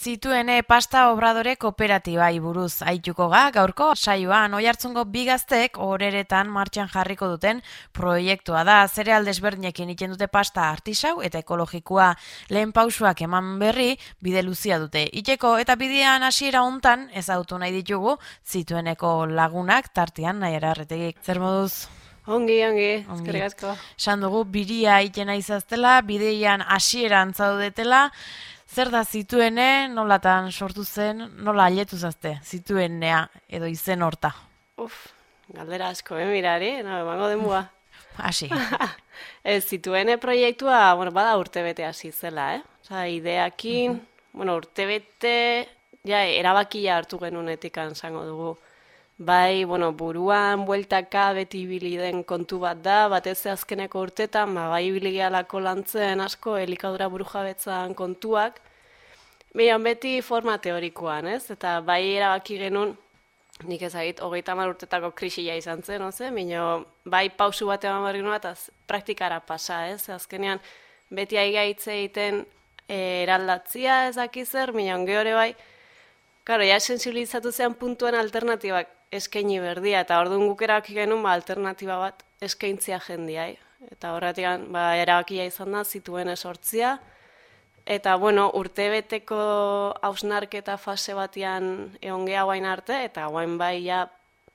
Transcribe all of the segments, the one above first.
Zituene pasta obradore kooperatibai buruz aituko ga, gaurko saioan Oiartzungo bi gaztek oreretan martxan jarriko duten proiektua da. Zereal desberdinekin egiten dute pasta artisau eta ekologikoa. Lehen pausuak eman berri bide luzia dute. Iteko eta bidean hasiera hontan ezagutu nahi ditugu Zitueneko lagunak tartean Naiara Arretegik. Zer moduz? Ongi, eskerrik asko. Esan dugu biria itena izaztela, bideian hasieran zaudetela. Zer da Zituene, nolatan sortu zen, nola aletu zazte, Zituenea edo izen horta? Galdera asko, mirari, emango denbua. Hasi. Zituene proiektua, bada urtebete hasi zela, Osa, ideakin, urtebete, erabakia hartu genunetik zango dugu. Bai, buruan, bueltaka, beti ibili den kontu bat da, batez azkeneko urtetan, bai ibili gehalako lantzen asko, elikadura burujabetzan kontuak, beti forma teorikoan, eta bai erabaki genuen, nik ezagit, 30 urtetako krisia izan zen, bai pausu bat eman barri nuen, eta praktikara pasa, azkenean, beti aigaitze egiten eraldatzia ezakizer, gehore bai, karo, sensibilizatu zean puntuan alternatibak eskaini berdia, eta orduan guk erabaki genuen alternatiba bat eskaintzia jendiai. Eta horretik erabakia izan da, Zituene sortzia. Eta, urtebeteko hausnarketa fase batian egon geha guain arte, eta guain bai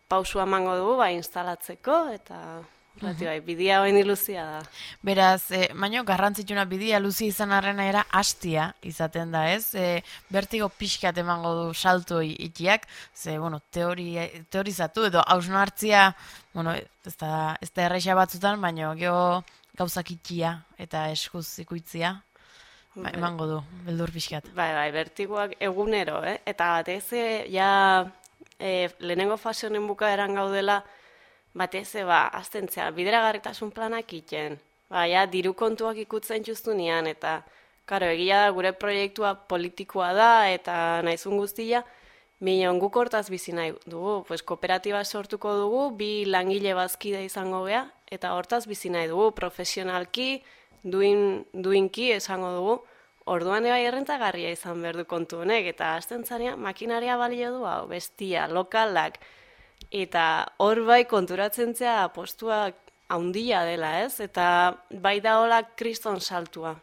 pausua emango dugu, instalatzeko, eta horretik bidia guain iluzia da. Beraz, baino garrantzitsuna bidia luzi izan arrena era hastia izaten da, ez? Bertigo pixkat emango du salto itiak, ze, teorizatu edo hausnartzia, ez da erraixa batzutan, baino geho gauzak itia eta eskuz ikuitzia, emango du, beldur pixkat. Bai, bertigoak egunero, eta batez, lehenengo fase honen bukaeran gaudela, batez, aztentzea, bideragarritasun planak iten. Diru kontuak ikutzen justu nian, eta, egia da, gure proiektua politikoa da, eta nahizun guztia, guk hortaz bizi nahi dugu, kooperatiba sortuko dugu, 2 langile bazkide izango gea, eta hortaz bizi nahi dugu, profesionalki, duinki esango dugu, orduan ebai errentagarria izan behar du kontu honek, eta aztentzania, makinaria balio du, bestia, lokalak, eta hor bai konturatzen zea postua haundia dela, eta bai da hola kriston saltua.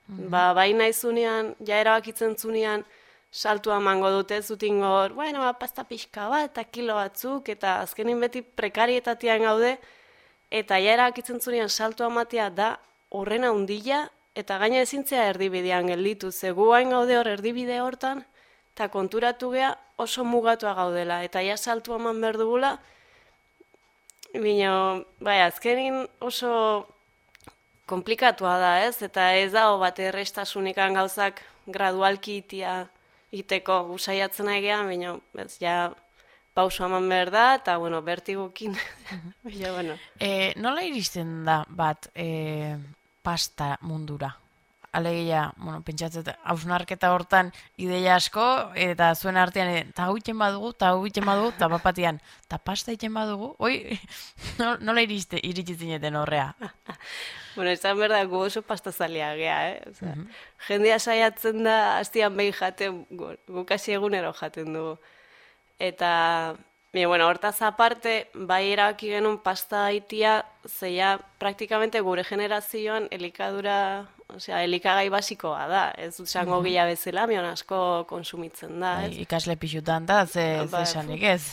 Bai nahi zunean, erabakitzen zunean, saltua mango dute zutin gor, pasta pixka bat, eta kilo batzuk, eta azkenin beti prekarietatean gaude, eta erabakitzen zunean saltua matea da horren haundia, eta gaina ezintzea erdibidean gelditu, zegu hain gaude hor erdibide hortan, eta konturatu gea oso mugatua gaudela, eta saltua eman behar dugula, azkenin oso komplikatua da, eta ez dago bat errestasunekan gauzak gradualki iteko usaiatzen egean, pauso eman behar da, eta, bertigukin. Nola iristen da bat pasta mundura? Alegia, pentsatzen, hausnarketa hortan ideia asko, eta zuen artean, eta hau iten badugu, eta bapatian, eta pasta iten badugu, nola iritsitzen horrea? Esan behar da, gu oso pastazalea gea, Jendea saiatzen da, hastian behin jaten, guk hasi egunero jaten dugu. Eta, hortaz aparte, bai erabaki genuen pasta haitia, zeia praktikamente gure generazioan elikadura, elikagai basikoa da, ez dut zango gila bezala, asko konsumitzen da. Ikasle pixutan da, ze esanik ez.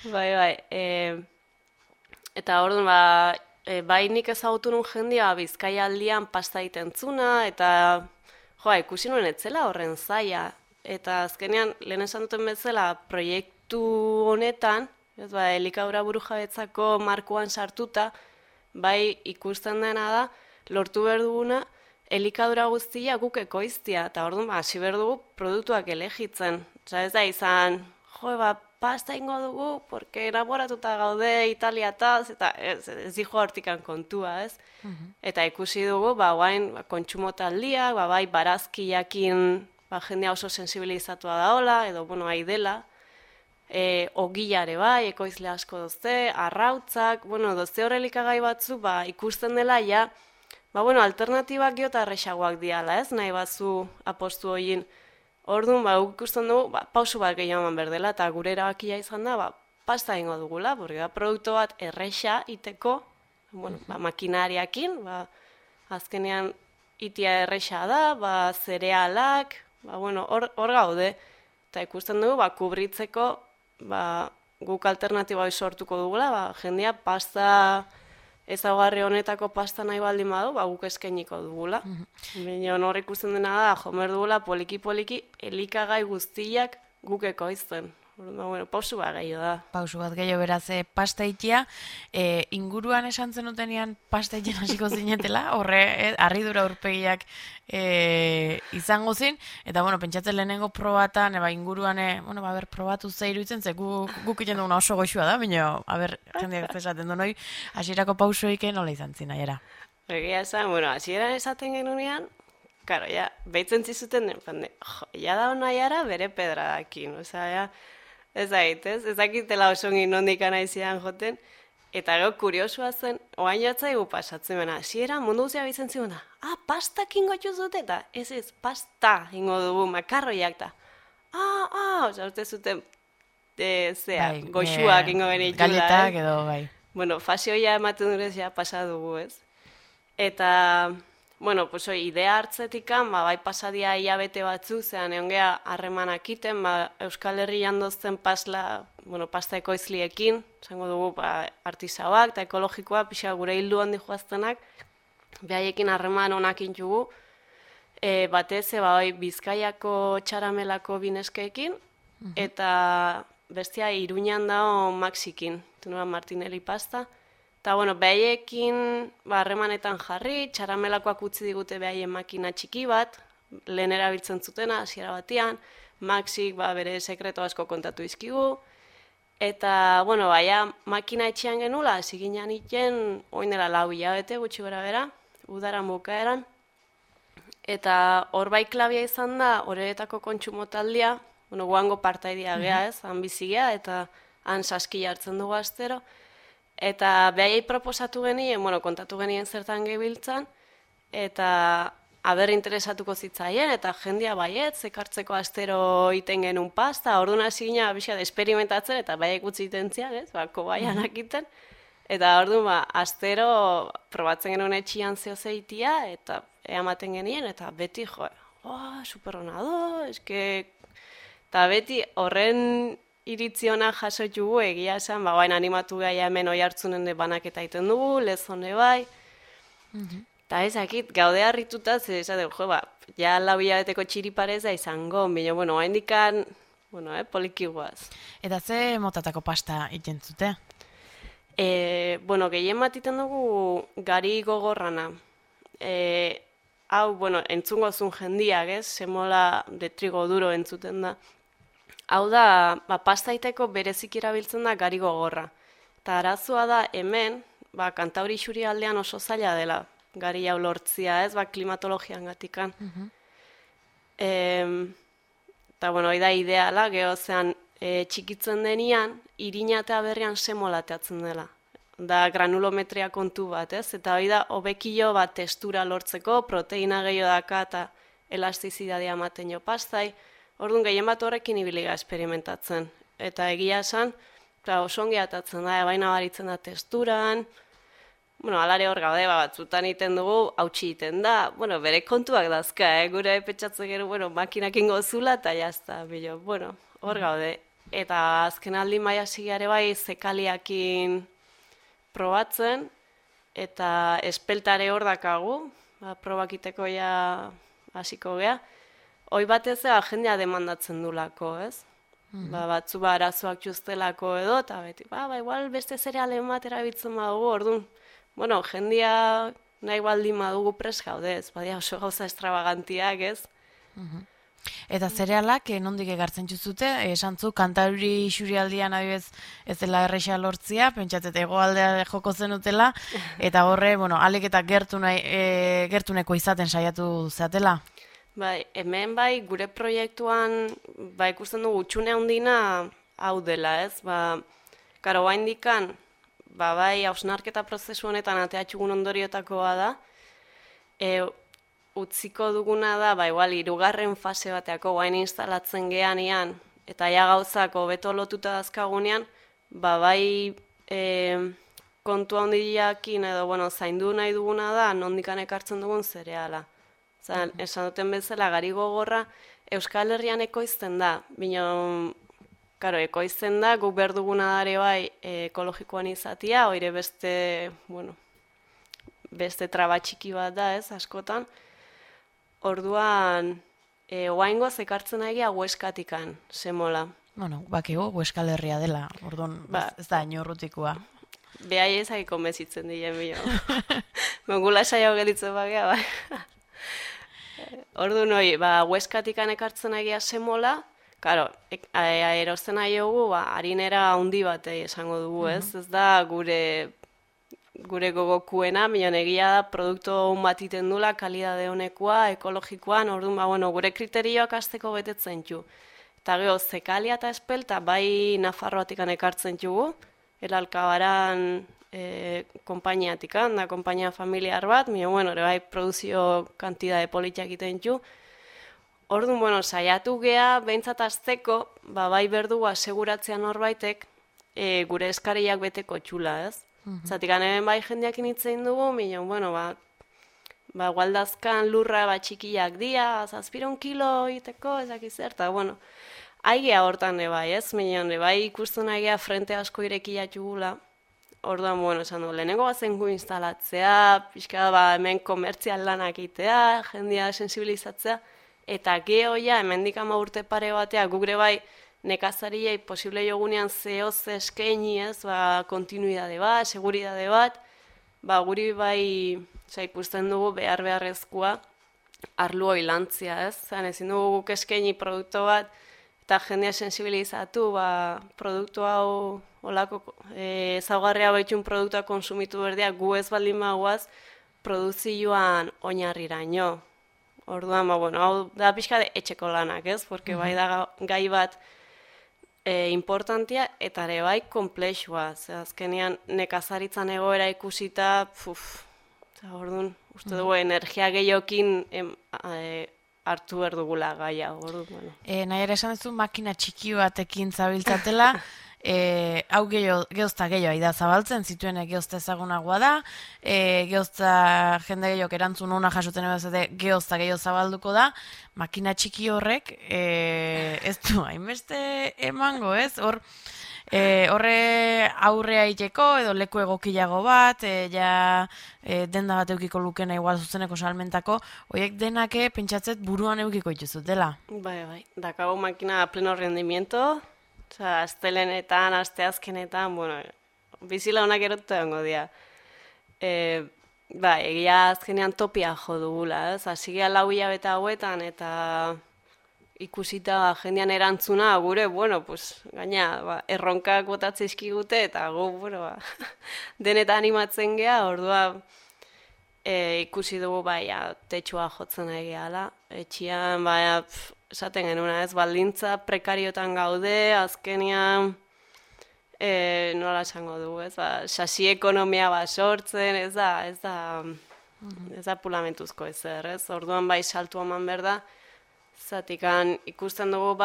Bai. Eta orduan, bai nik ezagutu nun jendia Bizkaia aldian pasta itentzuna, eta ikusi nuen etzela horren zaila. Eta azkenean, lehen esan duten bezala, proiektu honetan, elikadura burujabetzako markoan sartuta, bai ikusten dena da, lortu behar duguna, elikadura guztia guk ekoiztia, eta orduan, hasi behar dugu produktuak elegitzen. Ez da izan, pasta ingo dugu, porque elaboratuta gaude italiataz, eta ez dijo hortikan kontua, ez? Eta ikusi dugu, guain kontsumo taldiak, bai barazkiakin jendea oso sensibilizatua daola, edo, aidela, ogilare bai, ekoizle asko dozte, arrautzak, dozte horrelikagai batzu, ikusten dela, alternatibak geota errexagoak diala, ez? Nahi batzu apostu horien Orduan, ikusten dugu, pausu bat gehiago eman behar dela, eta gure erabakia izan da, pasta ingo dugula, porque da produktu bat erresa iteko, makinariakin, azkenean itia erresa da, zerealak, hor gaude, eta ikusten dugu, kubritzeko, guk alternatiba sortuko dugula, jendia pasta ezaugarri honetako pasta nahi baldin badu, guk eskainiko dugula. Baina hor ikusten dena da, jomer dugula poliki-poliki elikagai guztiak guk ekoizten. Pausu bat gehiago da. Pausu bat gehiago beraz, pasta itia, inguruan esan zenutenian pasta itien hasiko zinetela, horre, harridura urpegiak izango zin, eta, pentsatzen lehenengo probatan, inguruan, probatu ze iruditzen, ze guk iten duguna oso goxua da, baina, jendeak esaten du noi, hasierako pausoik nola izan zin, aiera? Egia esan, hasieran esaten genunean, karo, behitzen zizuten, da onaiara bere pedradakin, ez dakitela oso ngin nondik anaizian joten, eta gero kuriosua zen, oain jatzaigu pasatzen bena, hasiera mundu guztia bizen ziguna, pastak ingo txuzute, eta ez, pasta ingo dugu, makarroiak, eta, uste zuten, goxuak ingo genitxula. Galletak edo, bai. Fasioia ematen durez, pasa dugu, ez? Eta, idea hartzetikan, bai pasadia hilabete batzu, zean egon geha harremanak iten, Euskal Herrian dozten pasta ekoizliekin, zango dugu artisauak eta ekologikoa, pixa gure hildu handi joaztenak, behaiekin harreman onak intxugu, batez, Bizkaiako txaramelako bineskeekin, eta bestia Iruñan dao Maxikin, Martinelli pasta, eta, behaiekin harremanetan jarri, txaramelakoak utzi digute behaien makina txiki bat, lehen erabiltzen zutena, hasiera batean, Maxik bere sekreto asko kontatu izkigu, eta, makina etxean genula, ziginan iten, oin dela 4 hilabete gutxi gora bera, udaran bukaeran, eta hor bai klabia izan da, horretako kontsumo taldea, guango partaidia geha ez, han bizigea, eta han saski hartzen dugu astero, eta behaiei proposatu genien, kontatu genien zertan gebiltzan, eta aber interesatuko zitzaien, eta jendia baiet, zekartzeko astero iten genuen pasta, orduan hasi gina experimentatzen, eta baiek utzi iten zian, kobaianak iten, eta orduan astero probatzen genuen etxian zehozeitia, eta eamaten genien, eta beti superrona do, eta beti horren iritziona jasotugu egia esan, baina animatu gaia hemen oi hartzunen de banaketa iten dugu, lezone bai. Eta ezakit, gaude harrituta, esateko, ja 4 hilabeteko txiriparez da izango, baina, hain dikan, poliki guaz. Eta ze motatako pasta iten zute? Gehien bat iten dugu gari gogorrana. Hau, entzungo zun jendiak, semola de trigo duro entzuten da. Hau da, pasta iteko berezik erabiltzen da gari gogorra. Eta arazoa da hemen, Kantauri xuri aldean oso zaila dela gari hau lortzia, klimatologian gatikan. Eta, hori da ideala, gehozean txikitzen denian, irina eta berrian semolateatzen dela. Da granulometria kontu bat, eta hori da, hobekilo bat testura lortzeko, proteina gehiago daka eta elastizidadea ematen jo pastai. Orduan gehien bat horrekin ibiliga experimentatzen. Eta egia esan, oso ongi atatzen da, baina baritzen da testuran, alare hor gaude, batzutan iten dugu, hautsi iten da, bere kontuak dazka, gure petxatzen gero, makinakin gozula, eta jazta, hor gaude. Eta azken aldi maia zigeare bai, zekaliakin probatzen, eta espeltare hor dakagu, probakiteko ja hasiko gea, hoi batez jendea demandatzen du lako, ez? Batzu arazoak txustelako edo, eta beti, igual beste zerealen bat erabiltzen badugu, orduan, jendea nahi baldin badugu pres gaude, ez? Badia oso gauza extravagantiak, ez? Eta zerealak, nondik egartzen txuzute, esan zu, Kantauri xurialdian adibez ez dela erresa lortzia, pentsatzet egoaldea joko zenutela, eta horre, alik eta gertuneko izaten saiatu zeatela? Hemen gure proiektuan ikusten dugu utxune handina hau dela, ez? Karo, bain dikan, hausnarketa prozesu honetan ateatxugun ondoriotakoa da, utziko duguna da, igual, 3. fase bateako guain instalatzen geanean, eta ja gauzak hobeto lotuta dazkagunean, bai kontu handiakin edo, zaindu nahi duguna da, nondikan ekartzen dugun zereala. Esan duten bezala, gari gogorra, Euskal Herrian ekoizten da, bino, ekoizten da, guk behar duguna dare bai ekologikoan izatia, oire beste traba txiki bat da, askotan. Orduan, oaingoz ekartzen egia Hueskatikan, semola. Bakigu, Euskal Herria dela, orduan, ez da inorrutikoa. Behai ezak konbezitzen dien bio. Mengula saio gelitzen bagea, bai. Orduan, Hueskatikan ekartzen egia semola, karo, erosten nahi dugu, harinera handi bat esango dugu, ez? Ez da gure gogokuena, minon egia da produktu bat iten dula, kalidade honekoa, ekologikoan, orduan, gure kriterioak azteko betetzen ju. Eta geho, Zekalia eta Espelta, bai Nafarroatikan ekartzen jugu, Elalkabaran konpainiatikan, da konpainia familiar bat, minon, bai produzio kantidade politiak iten ju. Orduan, saiatu gea, behintzat azteko, bai berdu aseguratzea norbaitek, gure eskariak beteko txula, ez? Zatik, hemen bai jendeak initzein dugu, minon, gualdazkan lurra txikiak dia, 7 kilo iteko, ezakizer, eta, aigea hortan bai, ez? Minon, bai ikusten aigea frente asko irekiatu gula. Orduan, esan du, lehenengo bazen gu instalatzea, pixka hemen komertzial lanak itea, jendea sensibilizatzea, eta geho hemendik 10 urte pare batea, gugre bai, nekazariei posible jogunean zehoz eskaini, ez, kontinuidade bat, seguridade bat, guri bai, ikusten dugu beharrezkoa arlu hilantzia, ez? Ezin dugu guk eskaini produktu bat, eta jendea sensibilizatu, produktu hau, olako, ezaugarria baitxun produktua konsumitu berdeak, gu ez baldin magoaz, produzioan oinarriraino. Orduan, hau da pixka de etxeko lanak, ez? Porque bai da gai bat importantia eta ere bai komplexua. Azkenean nekazaritzan egoera ikusita, orduan, uste dugu energia gehiokin hartu behar dugula gaia. Nahi ere esan duzu makina txiki batekin zabiltzatela, hau gehozta gehiago da zabaltzen, zituen gehozta ezagunagoa da, gehozta jende gehiago erantzun hona jasuten ebazete gehozta gehiago zabalduko da, makina txiki horrek ez du hainbeste emango, ez? Horre aurrea iteko edo leku egokilago bat, denda bat eukiko lukena igual zuzeneko salmentako, horiek denake pentsatzet buruan eukiko ituzut dela. Bai, dakago makina pleno rendimiento, astelenetan, asteazkenetan, bizila honak erotu egongo dira. Egia azkenean topia jo dugula, ez? Azigea 4 hilabete hauetan eta ikusita jendean erantzuna gure, gaina, erronkak botatze izkigute eta gu, denetan animatzen gea, ordua ikusi dugu, tetxua jotzen egiala. Etxian, esaten genuna, ez, baldintza prekariotan gaude, azkenean, nola esango dugu, ez, sasi ekonomia sortzen, ez da pulamentuzko ezer, ez, orduan saltu eman behar da, zatikan ikusten dugu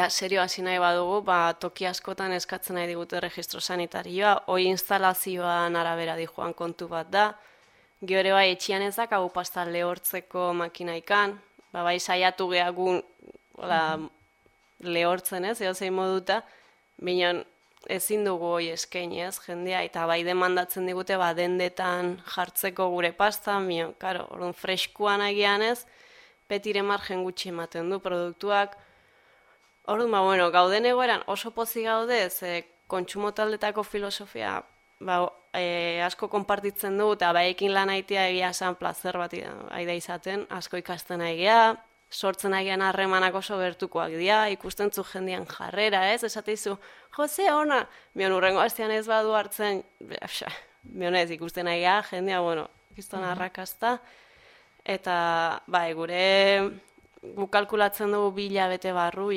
serio hasi nahi badugu, toki askotan eskatzen nahi digute registro sanitarioa, hoi instalazioan arabera dijoan kontu bat da, gero etxian ezak hau pasta lehortzeko makinaikan, saiatu gehagun lehortzen ez, zein moduta, bineon ezin dugu hoi eskaini ez, jendea, eta demandatzen digute dendetan jartzeko gure pasta, bineon, orduan freskuan agian ez, betire margen gutxi ematen du produktuak. Orduan, gauden egoeran oso pozik gaude, kontsumo taldetako filosofia asko konpartitzen dugu, eta ekin lan aitea egia esan plazer bat aida izaten, asko ikasten aigia, sortzen aigean harremanak oso gertukoak dira, ikusten zu jendean jarrera, ez? Esateizu, Jose, ona, mion urrengo hastean ez badu hartzen, mion ez ikusten aigia, jendea, ikizten arrakazta, eta, gu kalkulatzen dugu 2 hilabete barru,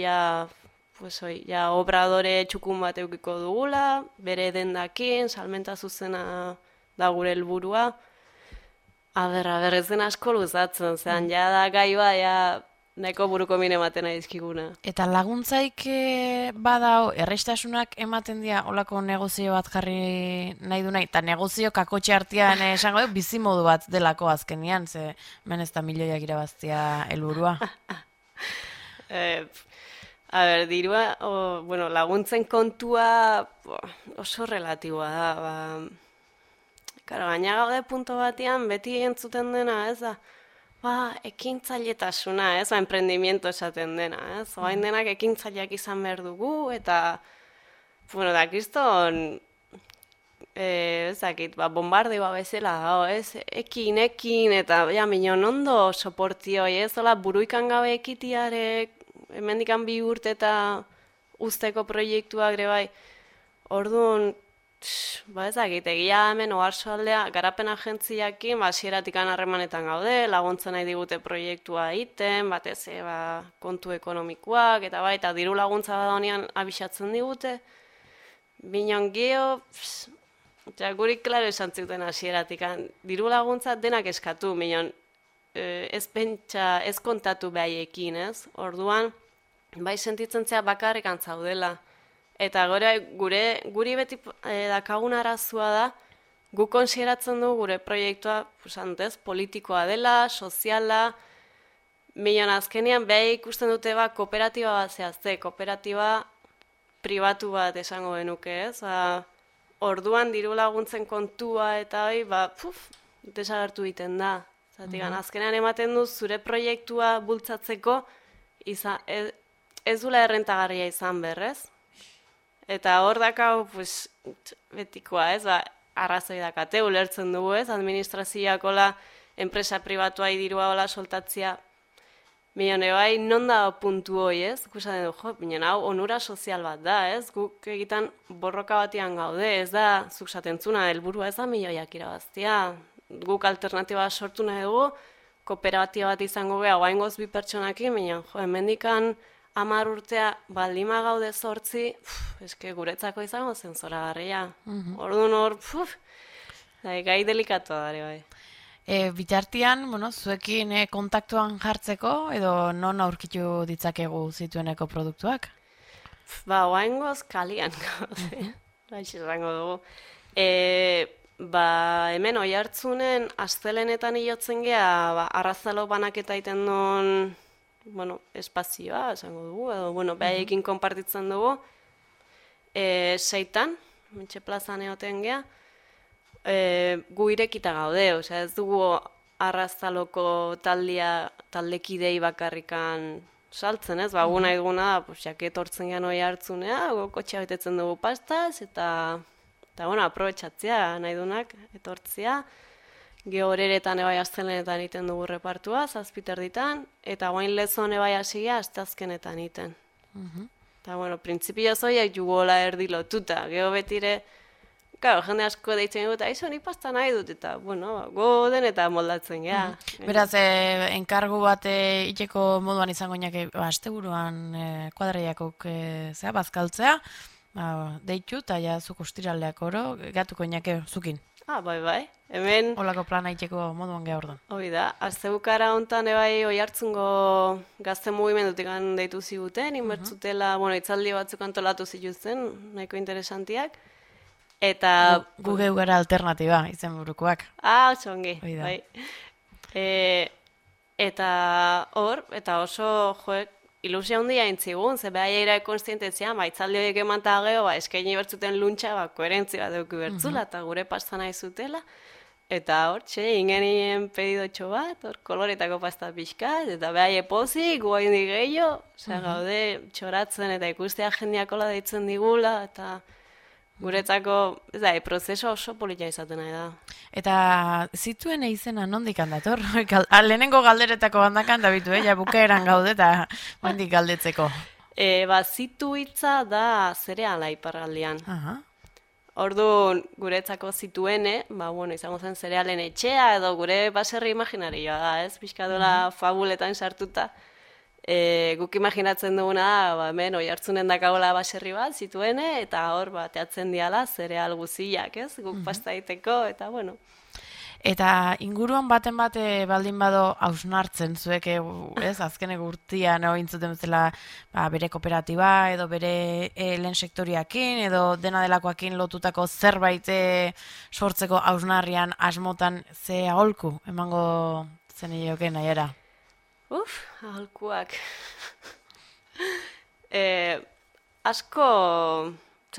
obradore txukun bat eukiko dugula, bere dendakin, salmenta zuzena da gure helburua, Aber, ez den asko luzatzen, zean, ja da gaioa, ja, nahiko buruko mine ematen aizkiguna. Eta laguntzaik badao, errestasunak ematen dira olako negozio bat jarri nahi du nahi, eta negozio kakotxe artean esango bizimodu bat delako azkenian, ze men ez da milioiak irabaztia helburua. Dirua, bueno, laguntzen kontua oso relatiboa da, Karo, gaina gaude punto batean, beti entzuten dena, ez da, ekintzailetasuna, ez, emprendimiento esaten dena, ez, oain denak ekintzaileak izan behar dugu, eta, bueno, da, kriston, ez dakit, bombardioa bezala, ez, ekin, eta, ja, minon ondo soportioi, ez, hola, buruikan gabe ekitiarek, hemendikan 2 urte eta usteko proiektuak ere bai, orduan, ezagit, egia hemen oharsoaldea garapen agentziakin hasieratikan harremanetan gaude, laguntzen nahi digute proiektua egiten, batez kontu ekonomikoak eta bai, eta diru laguntza bada honean abisatzen digute. Binon geho, guri klaro esan zuten hasieratikan, diru laguntza denak eskatu, binon ez pentsa, ez kontatu behaiekin, ez? Orduan, bai sentitzen zea bakarrik antzaudela. Eta guri beti dakagun arazua da, gu konsideratzen du gure proiektua politikoa dela, soziala, minon azkenean behar ikusten dute kooperatiba bat zehazte, kooperatiba pribatu bat esango genuke, ez? Orduan diru laguntzen kontua eta desagertu egiten da. Azkenean ematen du zure proiektua bultzatzeko ez dula errentagarria izan berrez. Eta hor dakau, betikoa, ez, arrazoi dakate, ulertzen dugu, ez, administrazioak hola, enpresa pribatuai dirua hola soltatzia. Mione bai, non da puntu hoi, ez, ikusaten du, minon hau, onura sozial bat da, ez, guk egiten borroka batian gaude, ez da, zuk satentzuna, helburua ez da milioiak irabaztia. Guk alternatiba sortu nahi dugu, kooperatiba bat izango geha, oaingoz 2 pertsonakin, minon, hemendikan 10 urtea baldima gaude 8, eske guretzako izango zen zoragarria. Orduan hor, gai delikatoa dare bai. Bitartian, zuekin kontaktuan jartzeko, edo non aurkitu ditzakegu zitueneko produktuak? Oaingoz kalian gaude, izango dugu. Hemen Oiartzunen astelenetan hilotzen geha, arrazalo banaketa iten duen espazioa, esango dugu, edo, behaiekin konpartitzen dugu, 6-tan, Mentxe plazan egoten geha, gu irekita gaude, ez dugu arrazaloko taldekidei bakarrikan saltzen, ez? Gu nahi duguna da, jaket hortzen gehan Oiartzunea, kotxea betetzen dugu pastaz, eta aprobetxatzea nahi dunak, etortzea, Gehoreretan ebai astelenetan iten dugu repartua, 7 erditan, eta guain lezon ebai asigea aztazkenetan iten. Eta, printzipio zoiak jugola erdi lotuta, geho betire, jende asko deitzen dugu, eta izo, ni pasta nahi dut, eta, goden eta moldatzen geha. Beraz, enkargu bat iteko moduan izango inake, asteburuan kuadreiakok bazkaltzea, deitu, eta ja zuk ustiraldeak oro, gatuko inake zukin. Bai. Hemen... Olako plana iteko moduan geha orduan. Hoi da, aztebukara hontan ebai Oiartzungo gazte mugimendutik deitu ziguten, inbertzutela, itzaldi batzuk antolatu zituzten, nahiko interesantiak. Eta... Gugeu gara alternatiba, izen burukoak. Oso ongi, bai. Eta hor, eta oso, ilusia handia intzigun, ze behar eira konstientetzia, itzaldi horiek emanta geho, eskaini bertzuten luntxa, koherentzia bat dugu bertzula, eta gure pasta nahi zutela. Eta hor, ingenien pedidotxo bat, hor koloretako pasta pixkat, eta behar epozik, guain digeio, gaude txoratzen eta ikustea jendeakola deitzen digula, eta guretzako, prozeso oso polita izaten nahi da. Eta zituen izena nondik handator? Lehenengo galderetako handakan da bitu, ja bukaeran gaude eta nondik galdetzeko. Zitu hitza da zereala iparraldean. Orduan, guretzako zituene, izango zen zerealen etxea, edo gure baserri imaginarioa da, ez? Pixkadola fabuletan sartuta. Guk imaginatzen duguna da, hemen Oiartzunen dakagola baserri bat zituene, eta hor, teatzen diala zereal guziak, ez? Guk pasta egiteko, eta bueno. Eta inguruan baten bate baldin bado hausnartzen zuek, ez, azkenek urtean ointzuten bezala bere kooperatiba edo bere lehen sektoriakin edo dena delakoakin lotutako zerbait sortzeko hausnarrian asmotan ze aholku emango zen ioke nahiera? Aholkuak. Asko,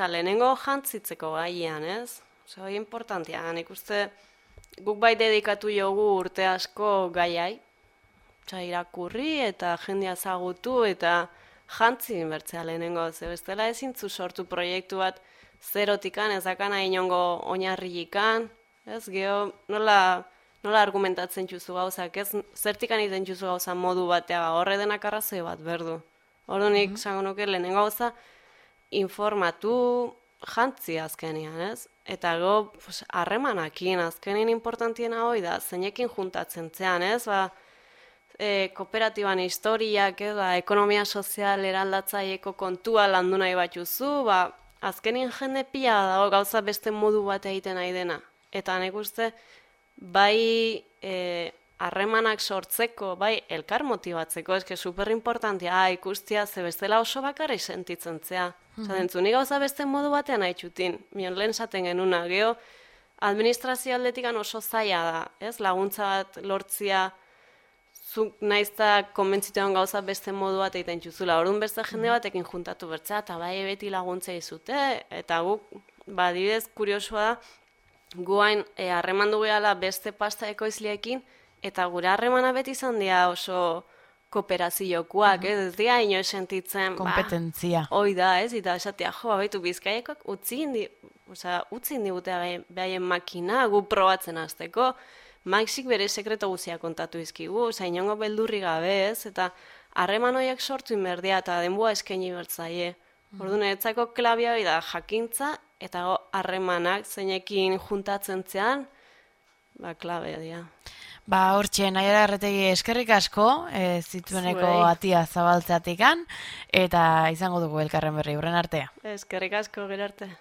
lehenengo jantzitzeko gaian, ez? Hori importantia, nik uste guk bai dedikatu jogu urte asko gaiai, irakurri eta jendea zagutu eta jantzi inbertzea lehenengo, ze bestela ezintzu sortu proiektu bat zerotikan, ezakana inongo oinarriikan, ez, geho, nola argumentatzen txuzu gauzak, ez, zertikan iten txuzu gauza modu batea, horre denak arrazoi bat, berdu. Ordunik, zango nuke, lehenengo gauza, informatu jantzi azkenean, ez? Eta go, harremanakin, azkenean importantiena hoi da, zeinekin juntatzen zean, ez? Kooperatiban historiak, ekonomia sozial eraldatzaieko kontua landu nahi batzuzu, azkenean jende pila dago gauza beste modu bat egiten nahi dena. Eta nik uste, bai harremanak sortzeko, bai elkar motibatzeko, eske superimportantia, ikustia, ze bestela oso bakarri sentitzen zea. Nik gauza beste modu batean nahi txutin, mion lehen zaten genuna, geho, administrazio aldetikan oso zaila da, ez, laguntza bat lortzia, zuk naizta konbentzituan gauza beste modu bat egiten txuzula, orduan beste jende batekin juntatu bertzea, eta bai beti laguntza izute, eta guk, adibidez, kuriosua da, guain harreman du gehala beste pasta ekoizliekin, eta gure harremana beti izan dira oso kooperaziokoak, ez dira inoiz sentitzen, kompetentzia. Hoi da, ez, eta esatea, baitu bizkaiekak utzi digute behaien makina, gu probatzen hasteko, Maxik bere sekreto guzia kontatu izkigu, inongo beldurri gabe, ez, eta harreman horiek sortu inberdia, eta denboa eskaini bertzaie. Orduan, etzako klabia da jakintza, eta harremanak zeinekin juntatzen zean, klabea dira. Hortxe, Naiara Arretegi eskerrik asko, zitueneko atia zabaltzeatikan, eta izango dugu elkarren berri, hurren artea. Eskerrik asko, gero arte.